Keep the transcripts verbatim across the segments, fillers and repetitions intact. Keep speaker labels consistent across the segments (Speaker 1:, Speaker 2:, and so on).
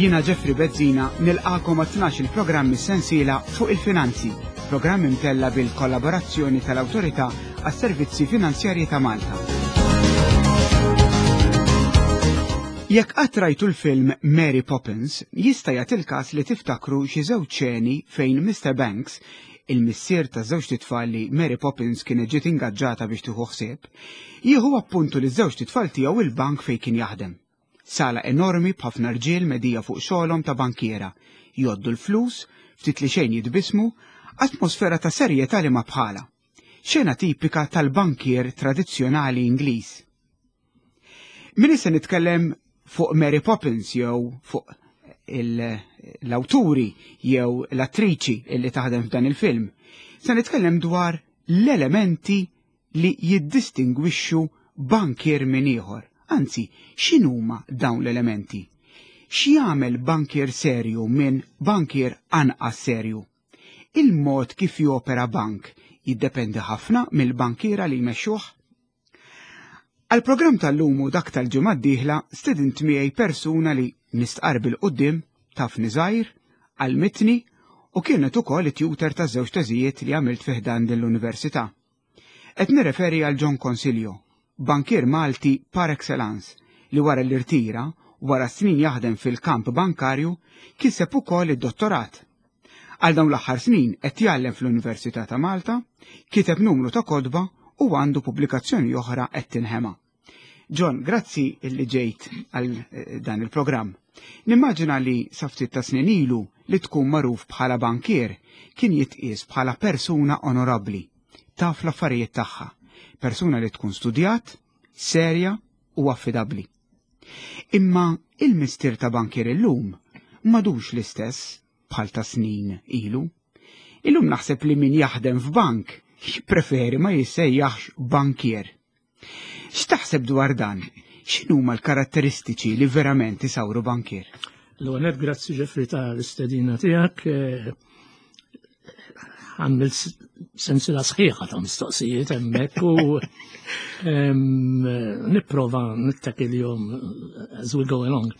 Speaker 1: Jiena Jeffrey Bezzina nilqagħkom għat-tnax il-programm sensiela fuq il-finanzi, programm imtella bil-kollaborazzjoni tal-Awtorità għas-Servizzi Finanzjarji ta' Malta. Jekk qatt rajtu l-film Mary Poppins, jista' jagħti il-każ li tiftakru xi żewġ ċeni fejn Mister Banks, il-missier ta' żewġt itfal li Mary Poppins kienet ġiet ingaġġata biex tieħu ħsieb, jieħu appuntu li żewġt itfal tiegħu il-bank fejn kien jaħdem. Sala enormi b'ħafna rġiel medija fuq xogħolhom ta' bankiera, jgħoddu l-flus, ftit li xejn jitbismu, atmosfera ta' serjetà li ma bħala. Xena tipika tal-bankier tradizzjonali Ingliż. Min se nitkellem fuq Mary Poppins jew fuq l-awturi jew l-attriċi illi taħdem f'dan il-film. Se nitkellem dwar l-elementi li jiddistingwixxu bankier minn ieħor. Anzi, x'inhuma dawn l-elementi? X'jagħmel bankier serju minn bankier anqas serju? Il-mod kif jopera bank jiddependi ħafna mill-bankiera li jmexxuh. Għal-programm tal-lum u dak tal-ġimgħa d-dieħla stedint miegħi persuna li nistqar bil-quddiem tafni żgħir, għallmitni u kienet ukoll it-tutor ta' żewġ teżijiet li għamilt fi ħdan din l-università. Qed nirreferi għal John Consiglio, bankier Malti par excellence li wara l-irtira, wara snin jaħdem fil-kamp bankarju, kiseb ukoll id-dottorat. Għal dawn l-aħħar snin qed jgħallem fl-Università ta' Malta, kiteb numru ta' kotba u għandu pubblikazzjoni oħra qed tinħema. John, grazzi illi ġejt għal eh, dan il-programm. Nimmaġina li sa ftit ta' snin ilu li tkun magħruf bħala bankier kien jitqies bħala persuna onorabbli, taf l-affarijiet tagħha, persuna li tkun studjat, serja u affidabbli. Imma il-mistier ta' bankier illum m'għadux l-istess bħal ta' snin ilu. Illum naħseb li min jaħdem f'bank jippreferi ma jissejjaħx bankier. X'taħseb dwar dan? X'inhuma l-karatteristiċi li verament isawru bankier?
Speaker 2: L-ewwel, grazzi Jeffrey ta' l-istedina tiegħek. Għamil sensila sħiħa ta' mistoqsijiet hemmhekk u nipprova nittakilhom as we go along.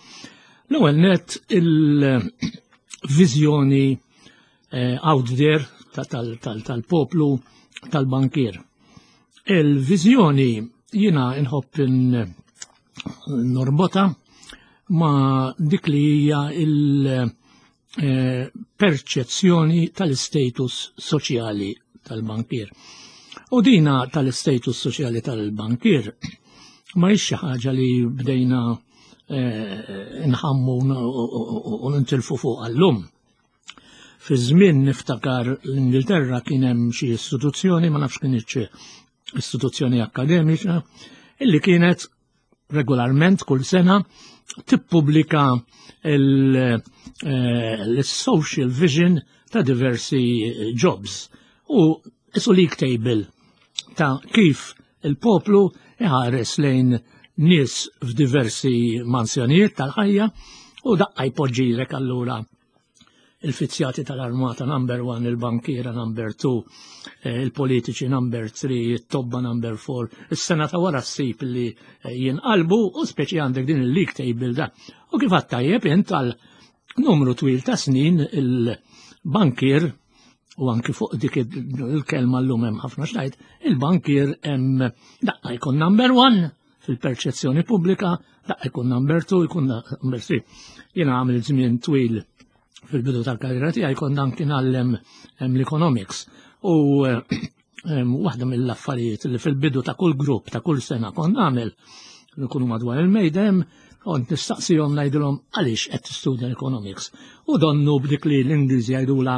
Speaker 2: L-ewwel net, il-viżjoni eh, out there tal-poplu tal-bankier. Il-viżjoni jiena nħobb norbotha ma' dik li hija il-perċezzjoni tal-status soċjali tal-bankier. U dina tal-status soċjali tal-bankier ma hix xi ħaġa li bdejna eh, nħammu u nintilfu fuq għallum. Fi żmien niftakar l-Ingilterra kien hemm xi istituzzjoni, ma nafx kien istituzzjoni akademika, illi kienet regolarment kull sena tippubblika il-social vision ta' diversi jobs u isu league table ta' kif il-poplu iħares lejn nies f'diversi mansjonijiet tal-ħajja, u daqqa jpoġġilek allura il-fizzjati tal-armata number one, il-bankiera number two, eh, il-politiċi number three, il-tobba number four, is-sena ta' wara ssib li eh, jinqalbu u speċi għandek din il-league table da. U kif tajjeb int, għal numru twil ta' snin il-bankier, u anki fuq dik il-kelma l-lum hemm ħafna xtajt, il-bankier hemm daqqa jkun number one fil-perċezzjoni pubblika, daqqa jkun number two, jkun number three. Jiena għamil żmien twil fil-bidu tal-karriera tiegħi kont anki ngħallem l-economics. U waħda mill-affarijiet li fil-bidu ta' kull grupp ta' kull sena kont nagħmel, nkunu madwar il-mejda, kont nistaqsihom, ngħidilhom, "Għaliex qed tistudja l-economics?" U donnu b'dik li l-Ingliżi jgħidula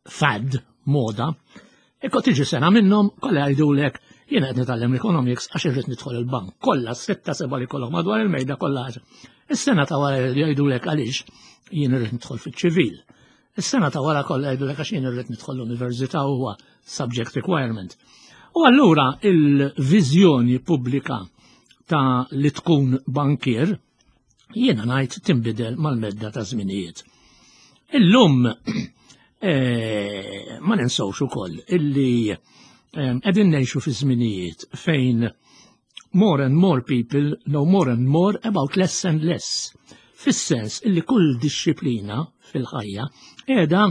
Speaker 2: fad, moda, Ekko tiġi sena minnhom kollha jgħidulek, "Jiena qed nitgħallem l-economics għax irrid nidħol il-bank." Kollha, sitta seba' li kollok madwar il-mejda, kollha. Is-sena ta' wara jgħidulek, "Għaliex jien irrid nidħol fiċ-ċivil." Is-sena ta' wara kollha jgħidulek, "Għax jien irrid nidħol l-università, huwa subject requirement." U allura il-viżjoni pubblika ta' li tkun bankier jiena ngħid tinbidel mal-medda ta' żminijiet. Illum eh, ma ninsawx ukoll illi qegħdin ngħixu fi żminijiet fejn more and more people know more and more about less and less. Fis-sens illi kull dixxiplina fil-ħajja qiegħda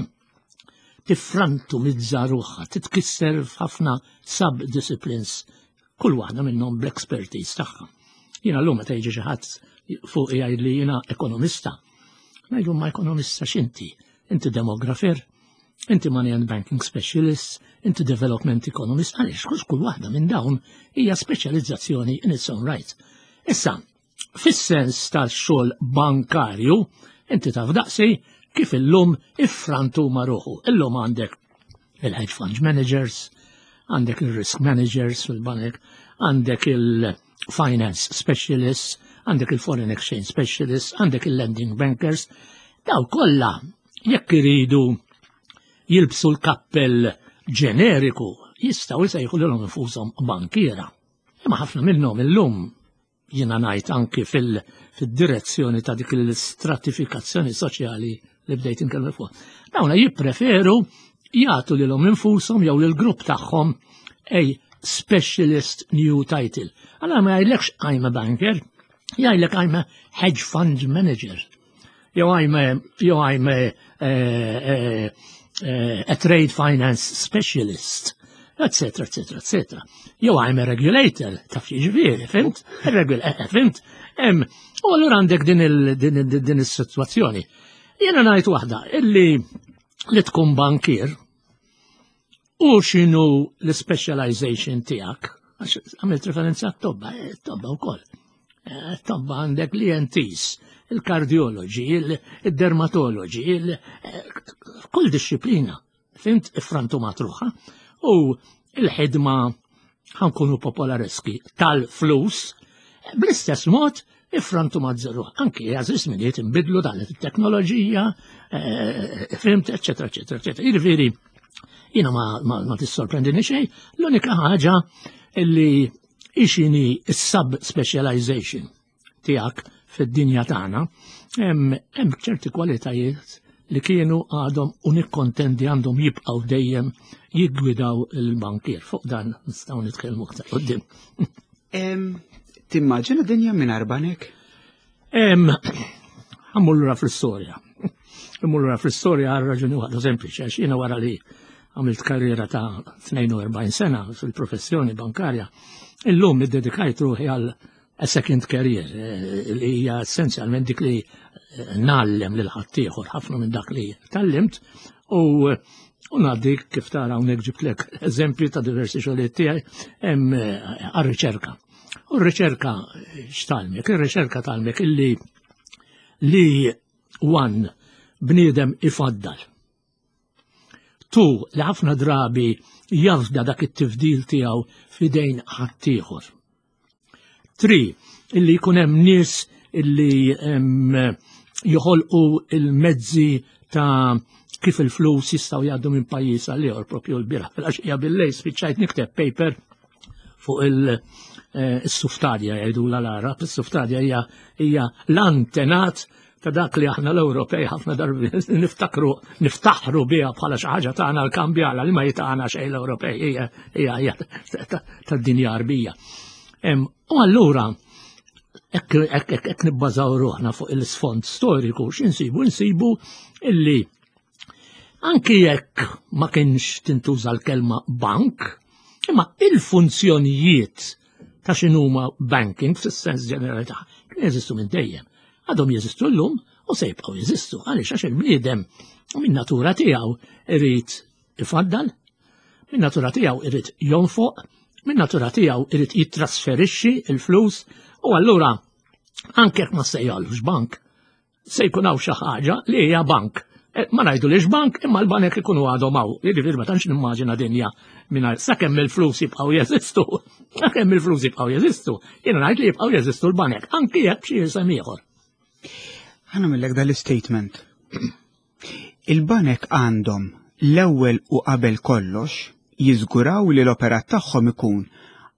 Speaker 2: tiffrantumizza ruħha, titkisser f'ħafna sub-disciplines, kull waħda minnhom bl-expertise tagħha. Jiena llum meta jiġi xi ħadd fuq jgħid li jiena ekonomista. Ngħidu, "Ma ekonomista x'inti? Inti demografer, inti money and banking specialist, inti development economist," għaliex kull kull waħda minn dawn hija speċjalizzazzjoni in its own right. Issa, fis-sens tal-xogħol bankarju, inti taf daqsi kif illum iffrantuma ruħu. Illum għandek il-hedge fund managers, għandek il-risk managers fil-banek, għandek il-finance specialists, għandek il-foreign exchange specialists, għandek il-lending bankers. Daw kollha jekk iridu jilbsu l-kappell ġeneriku jistgħu jsejħu lilhom infushom bankiera. Imma ħafna minnhom illum, jiena ngħid anki fil-direzzjoni ta' dik l-istratifikazzjoni soċjali li bdejt inkellem fuq, dawna jippreferu jagħtu lilhom infushom jew lill-grupp tagħhom a specialist new title. Allora ma jgħidlekx "I'm a banker", jgħidlek "I'm a hedge fund manager". Jew I'm a, jew I'm a, a, a, a trade finance specialist, et cetera, et cetera, et cetera. Jew "I'm a regulator", taf jiġifieri, fhimt? Eh, fhimt? U allura għandek din is-sitwazzjoni. Jiena ngħid waħda, illi li tkun bankier u x'inhu l-specialization tiegħek, għax għamilt referenza t-tobba, eh, t-tobba wkoll. Eh, tobba għandek l-E N Ts, il-kardiologi, il-dermatologi, kull disciplina, fhimt, iffrantumat ruħha, u il-ħidma, ħa nkunu popolareski, tal-flus, bl-istess mod iffrantumat ruħha. Anki għażiż żminijiet inbidlu dan it-teknoloġija, eh, fhimt, et cetera, et cetera, et cetera. Jiġifieri, jiena ma, ma, ma tissorprendini xejn, l-unika ħaġa illi x'inhi s-sub-specialization tiegħek fid-dinja tagħna, hemm ċerti kwalitajiet li kienu, għadhom u nikkontendi għandhom jibqgħu dejjem jiggwidaw il-bankier. Fuq dan nistgħu nitkellmu aktar quddiem.
Speaker 1: Timmaġina dinja mingħajr banek?
Speaker 2: Ħa mmur lura fl-istorja. Immur lura fl-istorja għal raġuni waħda sempliċi, għax jiena wara li għamilt karriera ta' tnejn u erbgħin sena fil-professjoni bankarja, illum iddedikajt ruħi għal a second career, eh, li hija essenzjalment dik li eh, ngħallem lil ħaddieħor ħafna minn dak li tgħallimt u u ngħaddi, kif tara hawnhekk ġibtlek eżempju ta' diversi xogħlijiet tiegħi hemm eh, għar-riċerka. U r-riċerka x'tgħallmek? Ir-riċerka tgħallmek illi li one, bniedem ifaddal. Two, li ħafna drabi jafda dak it-tifdil tiegħu fidejn ħaddieħor. Three, illi jkun hemm nies illi joħolqu il-mezzi ta' kif il-flus jistgħu jgħaddu minn pajjiż għal ieħor. Propju l-bieraħ fil-għaxija bil-lejl spiċċajt nikteb paper fuq il-suftadja jgħidu l-Arab. Is-suftadja hija hija l-antenat ta' dak li aħna l-Ewropej ħafna darbi niftakru, niftaħru biha bħala xi ħaġa tagħna, l-kambjala, li ma jitagħna xejn l-Ewropej, hija hija tad-dinja Arbija. U allura hekk nibbażaw ruħna fuq il-sfond storiku, x'insibu? Insibu illi anki jekk ma kienx tintuża l-kelma bank, imma il-funzjonijiet ta' x'inhuma banking fis-sens ġenerali ta' kien jeżistu minn dejjem. Għadhom jeżistu llum u se jibqgħu jeżistu. Għaliex? Għax il-bniedem minn natura tiegħu irid ifaddal, minn natura tiegħu irid jonfoq, minn natura tiegħu irid jittrasferixxi il-flus u allura anke jekk ma sejjalux bank, se jkun hawn xi ħaġa li hija bank. Eh, ma ngħidu lix bank, imma l-banek ikunu għadhom hawn. Jiġifieri ma tantx nimmaġina dinja mingħajr, sakemm il-flus jibqgħu jeżistu. Sakemm il-flus jibqgħu jeżistu. Jiena ngħid li jibqgħu jeżistu l-banek, anki jekk b'xi isem ieħor.
Speaker 1: Ħa nagħmillek dal-statement. Il-banek għandhom l-ewwel u qabel kollox jiżguraw li l-operat tagħhom ikun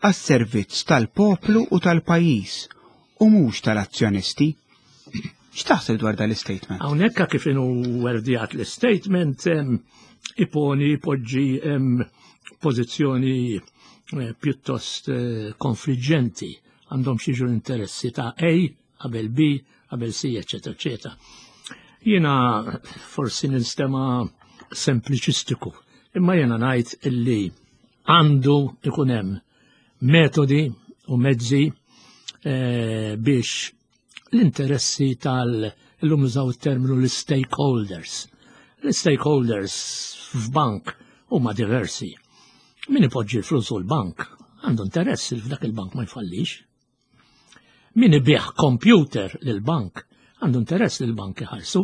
Speaker 1: għas-servizz tal-poplu u tal-pajjiż u mhux tal-azzjonisti. X'taħseb dwar dal-statement?
Speaker 2: Hawnhekk kif inhu wordjat l-statement iponi, poġġi pożizzjoni eh, pjuttost eh, konfliġġenti. Għandhom xi interessi ta' A qabel B, qabel C, eccetera, eccetera. Jiena forsi ninstema sempliċistiku, imma jiena ngħid illi għandu ikun hemm metodi u mezzi eh, biex l-interessi tal- illum użaw terminu l-stakeholders. L-stakeholders f'bank huma diversi. Min ipoġġi l-flus u l-bank għandu interess li f'dak il-bank ma jfallix. Min ibigħ computer lil-bank għandu interess li l-bank iħarsu.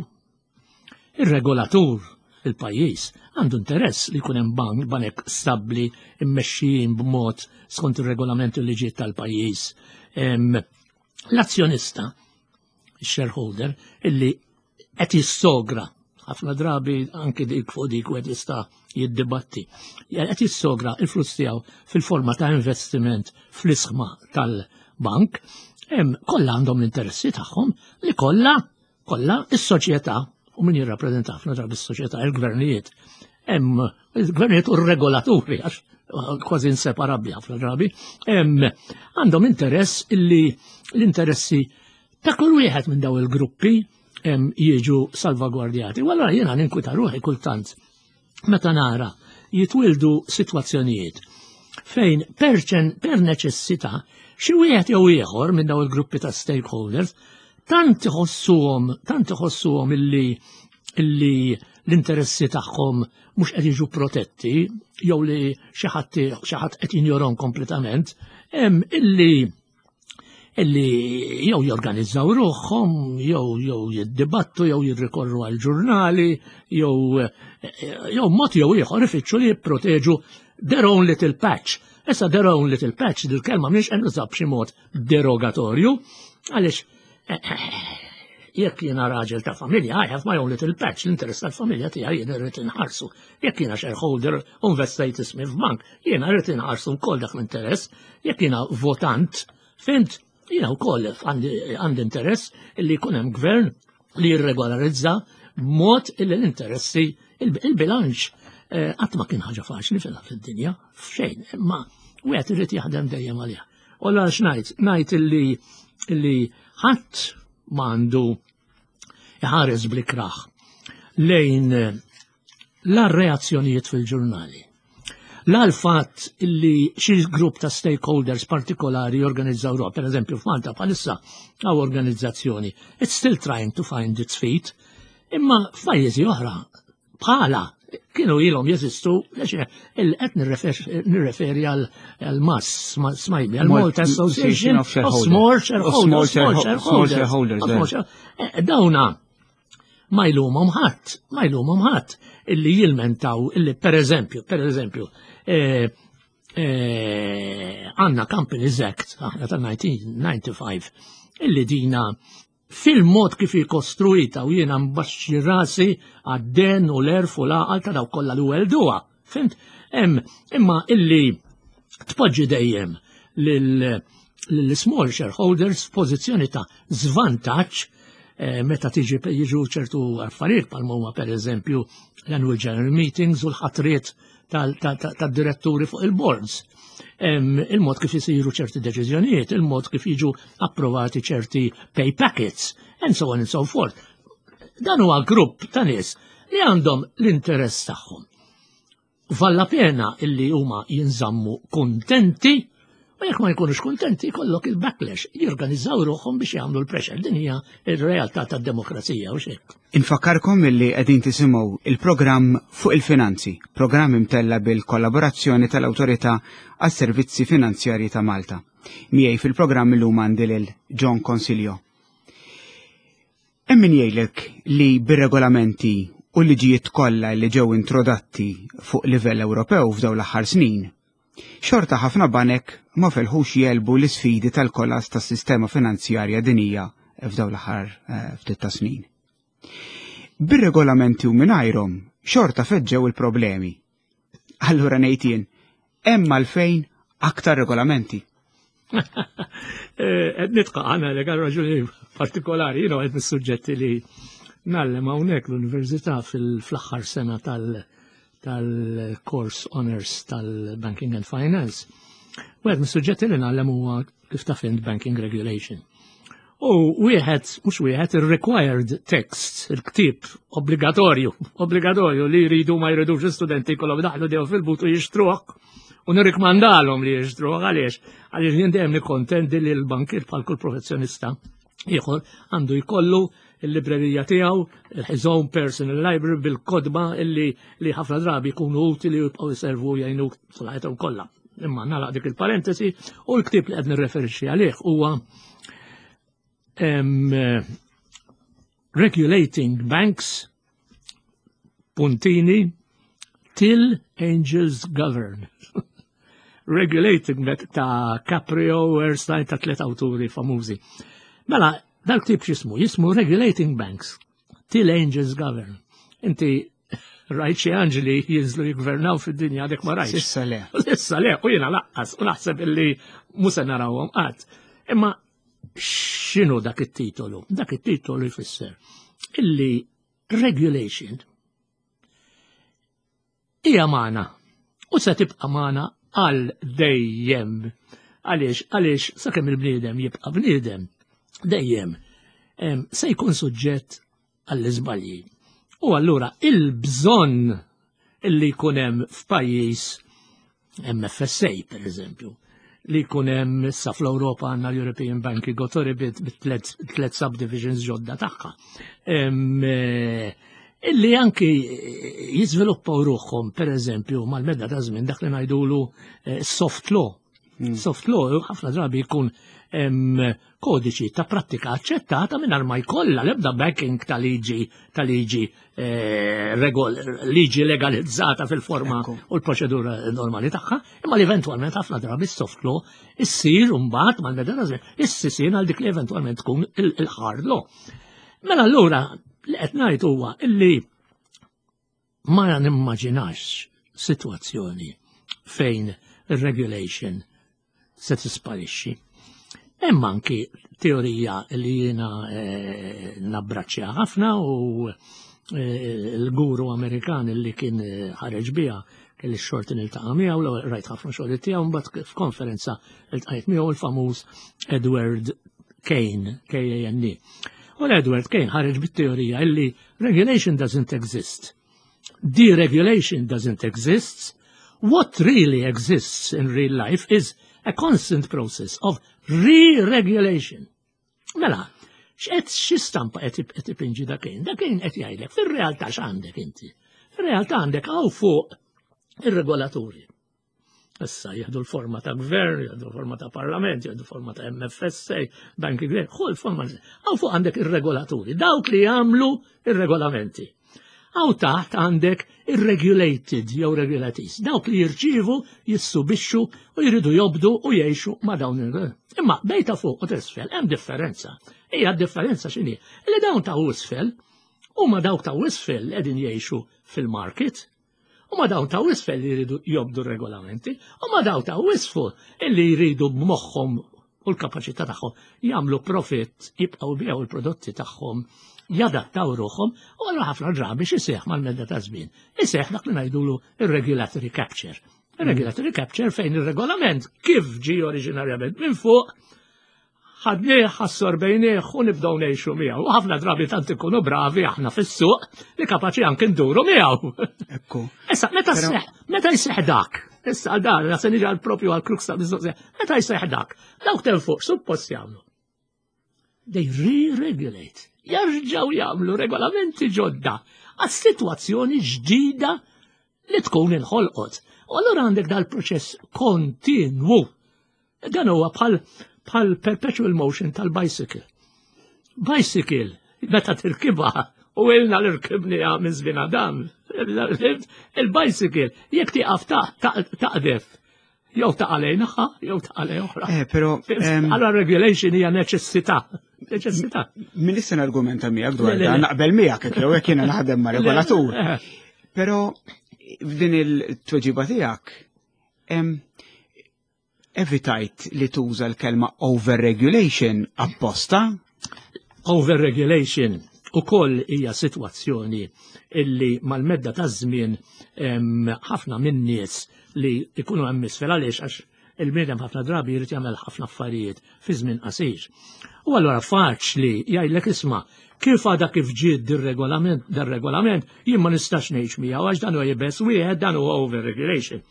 Speaker 2: Ir-regolatur il-pajjiż għandu interess li jkun hemm bank banek stabbli immexxijin b'mod skont ir-regolamenti u liġijiet tal-pajjiż. L-azzjonista, il-shareholder, illi qed jissogra ħafna drabi anki dik fuq dik u jista' jiddibatti. Qed jissogra il-flus tiegħu fil-forma ta' investiment fl-isħma tal-bank, kollha għandhom l-interessi tagħhom li kollha kollha is-soċjetà u min jirrappreżenta ħafna drabi s-soċjetà il-gvernijiet. Hemm il-gvernijiet u r-regolaturi għax kważi inseparabbli ħafna drabi, għandhom interess illi l-interessi ta' kull wieħed minn daw il-gruppi jiġu salvagwardjati. U allora jiena ninkwita ruħi kultant meta nara jitwildu sitwazzjonijiet fejn perċen per neċessità xi wieħed jew ieħor minn daw il-gruppi ta' stakeholders tant iħossuhom tant iħossuhom illi illi l-interessi tagħhom mhux qed jiġu protetti jew li xi ħadd xi ħadd qed jinjorhom kompletament, illi illi jew jorganizzaw ruħhom, jew jew jiddibattu, jew jirrikorru għal ġurnali, jew jew mod jew ieħor ifittxu li jipproteġu their own little patch. Issa their own little patch, dil-kelma mhix qed nuża b'xi mod derogatorju, għaliex jekk jiena raġel ta' familja, I have my own little patch, l-interess tal-familja tiegħi jiena rrid inħarsu. Jekk jiena shareholder u investejt ismi f'bank, jiena rrid inħarsu wkoll dak l-interess. Jekk jiena votant, fhimt, jiena wkoll għandi interess illi jkun hemm gvern li jirregolarizza b'mod illi l-interessi il-bilanċ qatt ma kien ħaġa faċli fid-dinja, f'xejn, imma wieħed irid jaħdem dejjem għaliha. U allura x'ngħid? Ngħid illi illi ħadd m'għandu iħares bl-ikrah lejn la reazzjonijiet fil-ġurnali. La l-fatt illi xi grupp ta' stakeholders partikolari jorganizzaw ruħ, per eżempju f'Malta bħalissa hawn organizzazzjoni, it's still trying to find its feet, imma f'pajjiżi oħra bħala kienu ilhom jeżistu, qed nirreferi għal MASS, smajbi, għal Malta Association of Small Shareholders.
Speaker 1: Small Shareholders.
Speaker 2: Dawna ma jlumhom ħadd, ma jlumhom ħadd illi jilmentaw illi per eżempju, per eżempju, għandna Companies Act, aħna tal-elf disa' mija u disgħa u disgħin, illi dina fil-mod kif kostruita u jiena mbaxxi rasi għad-den u l-għerf u l-għaqal ta' dawk kollha li welduha. Fhimt? Imma illi tpoġġi dejjem lil-small shareholders f'pożizzjoni ta' żvantaġġ eh, meta tiġi jiġu ċertu affarijiet bħal huma per eżempju l-annual general meetings u l-ħatriet tad-diretturi fuq il-boards. Il-mod kif jisiru ċerti deċiżjonijiet, il-mod kif jiġu approvati ċerti pay packets, and so on and so forth. Dan huwa grupp ta' nies li għandhom l-interess tagħhom. Valla pena illi huma jinżammu kontenti u jekk ma jkunux kontenti jkollok il-backlash, jorganizzaw ruħhom biex jagħmlu l-pressure. Din hija r-realtà tad-demokrazija u xek.
Speaker 1: Infakkarkom illi qegħdin tisimgħu il-programm Fuq il-Finanzi, programm imtella bil-kollaborazzjoni tal-Awtorità għas-Servizzi Finanzjarji ta' Malta. Miegħi fil-programm illum għandi lil John Consiglio. Hemm min jgħidlek li bir-regolamenti u liġijiet kollha li ġew introdotti fuq livell Ewropew f'dawn l-aħħar snin, xorta ħafna banek ma felħux jegħlbu l-isfidi tal-kollass tas-sistema finanzjarja dinija f'dawn l-aħħar eh, ftit ta' snin. Bir-regolamenti u mingħajrhom xorta feġġew il-problemi. Allura ngħid jien, hemm għalfejn aktar regolamenti.
Speaker 2: Eh, nidħak għana li għal raġuni partikolari, jino għed mis-suġġetti li ngħallem hawnhekk l-Università fil-aħħar sena tal-course honors tal-Banking and Finance. U għed mis-suġġetti li ngħallem huwa kif taf int banking regulation. U wieħed, mhux wieħed, il-required text, il-ktib obbligatorju, obbligatorju li jridu ma jridux l-studenti kollhom daħlu dew fil-but u jixtruh. U nirrikmandalhom li jixtruh. Għaliex? Għaliex jien dejjem nikkontendi li l-bankir, bħal kull professjonista ieħor, għandu jkollu il-librerija tiegħu, his own personal library bil-kotba illi li ħafna drabi jkunu utili u jibqgħu jservu, jgħinu tul kollha. Imma nagħlaq dik il-parentesi u l-ktib li qed nirreferixxi għalih huwa em, Regulating Banks puntini Till Angels Govern. Regulating Bank ta' Caprio, Erstein, ta' tlet awturi famużi. Mela, dal-ktib x'jismu? Jismu Regulating Banks Till Angels Govern. Inti rajt xi anġli jinżlu jigvernaw fid-dinja? Għadek ma rajtx.
Speaker 1: S'issa le.
Speaker 2: Issa le, u jiena lanqas, u naħseb illi mhux se narawhom qatt. Imma x'inhu dak it-titolu? Dak it-titolu jfisser illi regulation hija magħna u se tibqa' magħna għal dejjem. Għaliex, għaliex sakemm il-bniedem jibqa' bniedem, dejjem em, se jkun suġġett għall-iżbalji. U allura il-bżonn illi jkun hemm f'pajjiż M F S A, per eżempju, li jkun hemm issa fl-Ewropa għandna l-European Banking Authority bit tlet subdivisions ġodda tagħha. Em, eh, Illi anki jiżviluppaw ruħhom, per eżempju, mal-medda ta' żmien dak li ngħidulu eh, soft law. Soft law ħafna drabi jkun em, kodiċi ta' prattika aċċettata mingħajr ma jkollha l-ebda backing ta' liġi ta' liġi eh, regol, liġi legalizzata fil-forma
Speaker 1: Ekku.
Speaker 2: u l-proċedura normali tagħha, imma li eventwalment ħafna drabi soft law issir mbagħad mal-medda ta' żmien issir għal dik li eventwalment tkun il- il-hard law. Mela allura li qed ngħid huwa illi ma nimmaġinax sitwazzjoni fejn il-regulation se tisparixxi. Hemm anki teorija li jiena eh, nabbraċċja ħafna u eh, l-guru Amerikan li kien eh, ħareġ biha, kelli x-xorti niltaqa' miegħu, l rajt ħafna xogħol tiegħu, mbagħad f'konferenza iltqajt miegħu, il-famuż Edward Kane, K A N E. U l-Edward Kane ħareġ bit-teorija illi regulation doesn't exist. Deregulation doesn't exist. What really exists in real life is a constant process of re-regulation. Mela, x'qed xi stampa qed qed ipinġi da Kane? Da Kane qed jgħidlek fir-realtà x'għandek inti. Fir-realtà għandek hawn fuq ir-regolaturi. Issa jieħdu l-forma ta' gvern, jieħdu l-forma ta' parlament, jieħdu l-forma ta' M F S A, Banking Gvern, ħu l-forma. Hawn fuq għandek ir-regolaturi, dawk li jagħmlu ir-regolamenti. Hawn taħt għandek ir-regulated jew regulatees, dawk li jirċivu, jissubixxu u jridu jobdu u jgħixu ma' dawn il. Imma bejn ta' fuq u t'isfel hemm differenza. Hija differenza x'inhi? Li dawn ta' isfel huma dawk ta' isfel li qegħdin jgħixu fil-market, u ma dawn ta' isfel li jridu jobdu regolamenti, u ma dawn ta' isfel illi jridu b'moħħhom u l-kapaċità tagħhom jagħmlu profit, jibqgħu jbigħu l-prodotti tagħhom, jadattaw ruħhom, u allura ħafna drabi x'iseħħ mal-medda ta' żmien? Iseħħ dak li ngħidulu ir-regulatory capture. Ir-regulatory capture fejn ir-regolament kif ġi oriġinarjament minn fuq ħadnieh, assorbejnieh u nibdew ngħixu miegħu. U ħafna drabi tant ikunu bravi aħna fis-suq li kapaċi anke nduru miegħu.
Speaker 1: Ekku.
Speaker 2: Issa, meta
Speaker 1: Però-
Speaker 2: seħ, meta jseħ dak, issa dan, se niġi għal propju għal crux ta' mistoqsija, meta jseħ dak, dawk ta' fuq suppost jagħmlu. They re-regulate. Jarġaw jagħmlu regolamenti ġodda għas-sitwazzjoni ġdida li tkun inħolqot. U allura għandek dal-proċess kontinwu. Dan huwa bħal bħal perpetual motion tal-bicycle. Bicycle, meta tirkibha, u ilna l-irkibni minn żmien Adam, il-bicycle, jekk tieqaf taqdef, jew taqa' lejn naħa, jew taqa' lejn oħra.
Speaker 1: Eh, però em,
Speaker 2: Allora regulation hija neċessità. Neċessità.
Speaker 1: Min issa argumenta miegħek dwar
Speaker 2: Le, le,
Speaker 1: dan,
Speaker 2: le.
Speaker 1: naqbel miegħek jew jekk jiena naħdem ma' regolatur.
Speaker 2: Eh,
Speaker 1: Però f'din il-tweġiba tiegħek em, evitajt li tuża l-kelma overregulation apposta.
Speaker 2: Overregulation ukoll hija sitwazzjoni illi mal-medda ta' żmien em, ħafna minn nies li ikunu hemm isfel, għaliex għax Il-bniedem ħafna drabi jrid jagħmel ħafna affarijiet fi żmien qasir. U allura faċli jgħidlek, "Isma', kif għada kif ġiet dir-regolament, dar-regolament, jien ma nistax ngħix miegħu għax dan huwa iebes wieħed, dan huwa overregulation."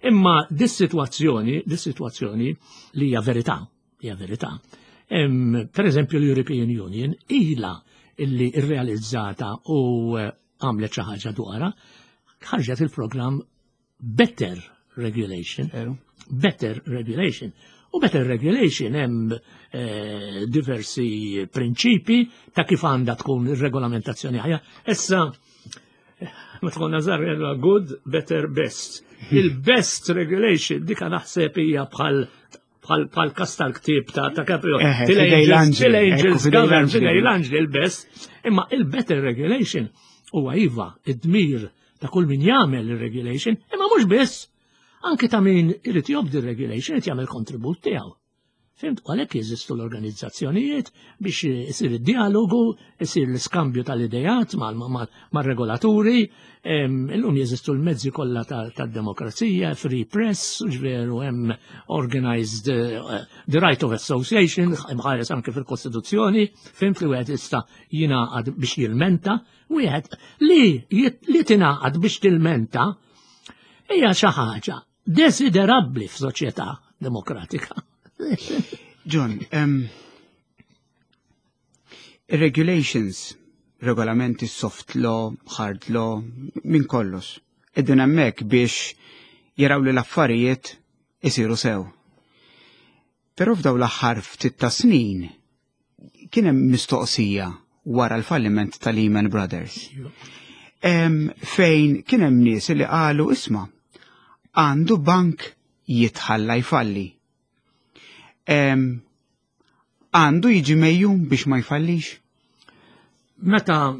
Speaker 2: Imma dis-sitwazzjoni, dis-sitwazzjoni li hija verità, hija verità. Per eżempju, l-European Union ila illi irrealizzata u eh, għamlet xi ħaġa dwarha, ħarġet il-programm Better Regulation. Better Regulation. U Better Regulation hemm eh, diversi prinċipi ta' kif għandha tkun ir-regolamentazzjoni ħajja. Issa, ma tkun nazar good, better, best. Il-best regulation dika naħseb hija bħal bħal kas tal-ktib ta' ta' Caprio. Till angels govern, fidej il-best. Imma il-better regulation huwa iva id-dmir ta' kull min jagħmel il-regulation, imma mhux biss, anki ta' min irid jobdi regulation irid jagħmel kontribut tiegħu. Fhimt, u għalhekk jeżistu l-organizzazzjonijiet biex isir id-dialogu, isir l-iskambju tal-idejat mal-regolaturi, illum jeżistu l-mezzi kollha tad-demokrazija, free press, ġveru hemm organized uh, the right of association, imħares anke fil-Kostituzzjoni, fhimt, li wieħed jista' jingħaqad biex jilmenta, wieħed li li tingħaqad biex tilmenta hija xi ħaġa desiderabbli f'soċjetà demokratika.
Speaker 1: John, um, regulations, regolamenti, soft law, hard law, minn kollox, qegħdin hemmhekk biex jaraw li l-affarijiet isiru sew. Però f'daw l-aħħar ftit ta' snin kien hemm mistoqsija wara l-falliment ta' Lehman Brothers. Em, fejn kien hemm nies li qalu, "Isma', għandu bank jitħalla jfalli? Em, Għandu jiġi megħjun biex ma jfallix?"
Speaker 2: Meta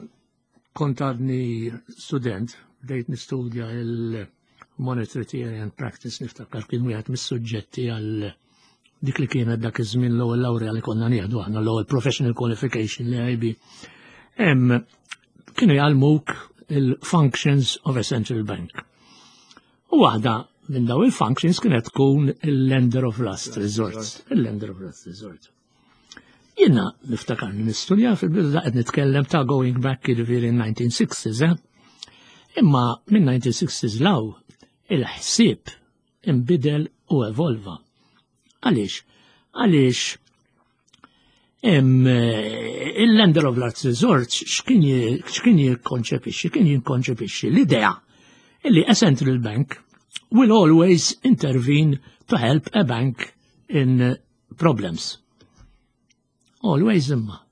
Speaker 2: kont għadni student, bdejt nistudja il-Monetary Theory and Practice, niftakar kien wieħed mis-suġġetti għal dik li kienet dak iż-żmien l-ewwel laurea li konna nieħdu aħna, l-ewwel professional qualification li I B. Hemm kienu jgħallmuk il-functions of a central bank. U waħda minn daw il-functions kienet tkun il-lender of last resort. Il-lender of last resort. Jiena niftakar nistudja fil-bidu, qed nitkellem ta' going back, jiġifieri nineteen sixties, eh? Imma minn nineteen sixties 'l hawn il-ħsieb imbidel u evolva. Għaliex? Għaliex em, il-lender of last resort x'kien x'kien jikkonċepixxi? Kien jikkonċepixxi l-idea illi a central bank will always intervene to help a bank in problems. Always imma.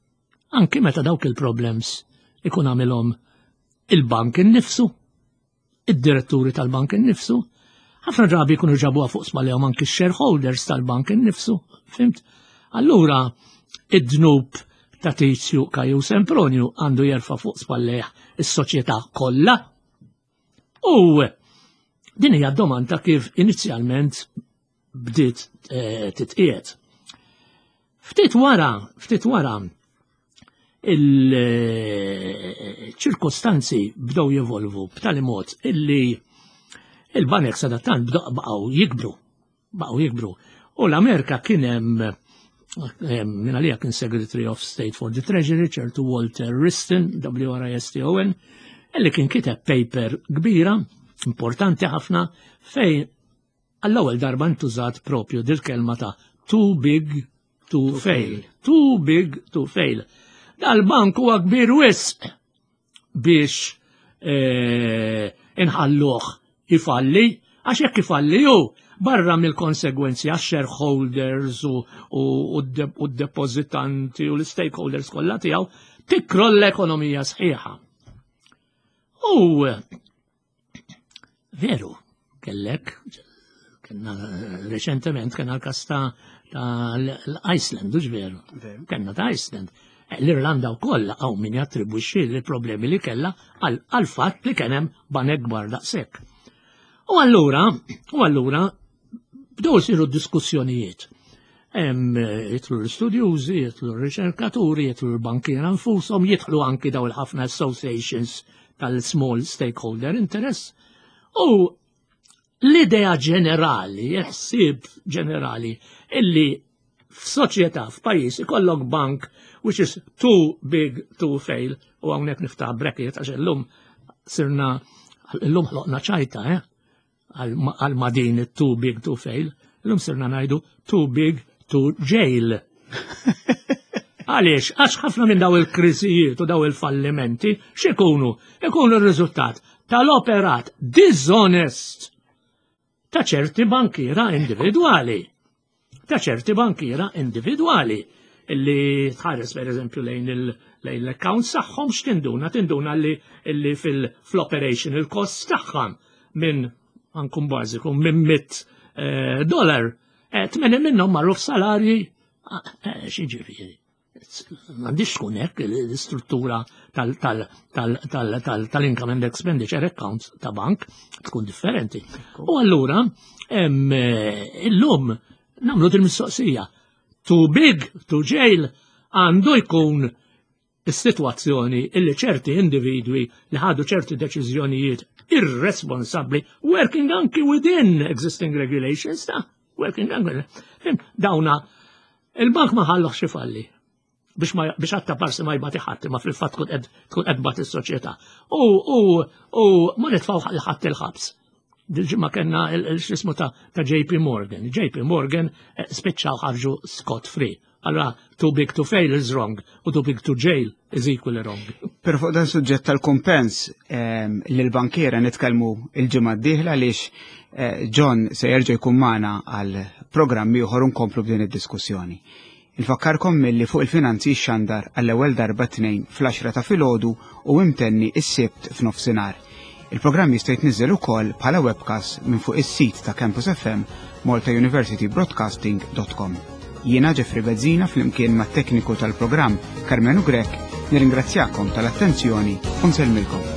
Speaker 2: Anki meta dawk il-problems ikun għamilhom il-bank innifsu, id-diretturi tal-bank innifsu, ħafna drabi jkunu ġabuha fuq spallejhom anki shareholders tal-bank innifsu, fhimt? Allura, id-dnub ta' Tizju, Kaju, Sempronju għandu jerfa' fuq spallejh is-soċjetà kollha? U din hija domanda kif inizjalment bdiet eh, titqiegħed. Ftit wara, ftit wara, il-ċirkostanzi bdew jevolvu b'tali mod illi il-banek sadattant bdew baqgħu jikbru, baqgħu jikbru. U l-Amerika kien hemm minn għalija kien Secretary of State for the Treasury, ċertu Walter Wriston, W R I S T O N, illi kien kiteb paper kbira, importanti ħafna, fejn għall-ewwel darba ntużat propju dil-kelma ta' too big to fail. Too big to fail. Dal-bank huwa kbir wisq biex eh, inħalluh ifalli, għax jekk ifalli ju, barra mill-konsegwenzi għax shareholders u, u, u d-depozitanti u l-stakeholders kollha tiegħu, tikroll l-ekonomija sħiħa. U veru, kellek, kellna reċentement, kellna l-kas ta' l-Iceland, u veru, kellna ta' Iceland. L-Irlanda u koll għaw min jattribwixxi l-problemi li kella għal fatt li kien hemm banek kbar daqshekk. U allura, u allura, bdew isiru diskussjonijiet. Jidħlu l-studjużi, jidħlu l-riċerkaturi, jidħlu l-bankiera nfushom, jidħlu anki daw il-ħafna associations tal-small stakeholder interest. U L-idea ġenerali, il-ħsieb ġenerali, illi f'soċjetà, f'pajjiż ikollok bank which is too big to fail, u hawnhekk niftaħ bracket għax illum sirna illum ħloqna ċajta, eh? Għal ma din too big to fail, illum sirna ngħidu too big to jail. Għaliex, għax ħafna minn daw il-kriżijiet u daw il-fallimenti x'ikunu? Ikunu r-riżultat tal-operat dishonest ta' ċerti bankiera individwali. Ta' ċerti bankiera individwali illi tħares per eżempju lejn l-accounts tagħhom, x'tinduna? Tinduna li illi fil-operational costs tagħhom minn ankun bażiku minn mitt eh, dollar, eh, tmenin minnhom marru f'salarji, eh, x'jiġifieri. M'għandix tkun hekk l-istruttura tal-income and expenditure accounts ta' bank, tkun differenti. U allura illum nagħmlu din mistoqsija. Too big to jail għandu jkun is-sitwazzjoni illi ċerti individwi li ħadu ċerti deċiżjonijiet irresponsabbli, working anki within existing regulations, ta' working anki dawna il-bank ma ħalluhx ifalli biex ma biex għatta parsi ma jbati ħadd, ma fil-fatt tkun qed tkun qed tbati s-soċjetà. U u u ma nitfgħu ħadd il-ħabs. Dil-ġimgħa kellna l-xismu ta' ta' J P Morgan. J P Morgan eh, spiċċaw ħarġu scot free. Allora, too big to fail is wrong, u too big to jail is equally wrong.
Speaker 1: Per fuq dan suġġett tal-kumpens ehm, l-bankiera nitkellmu il-ġimgħa d-dieħla għaliex eh, John se jerġa' jkun magħna għal programmi ieħor nkomplu b'din id-diskussjoni. Infakkarkom milli Fuq il-Finanzi xandar għall-ewwel darba tnejn fl-għaxra ta' filgħodu u imtenni is-Sibt f'nofsinhar. Il-programm jista' jitniżel ukoll bħala webcast minn fuq is-sit ta' Campus F M, malta university broadcasting dot com. Jiena Jeffrey Bezzina flimkien mat-tekniku tal-programm Carmenu Grek nirringrazzjakom tal-attenzjoni u nsellmilkom.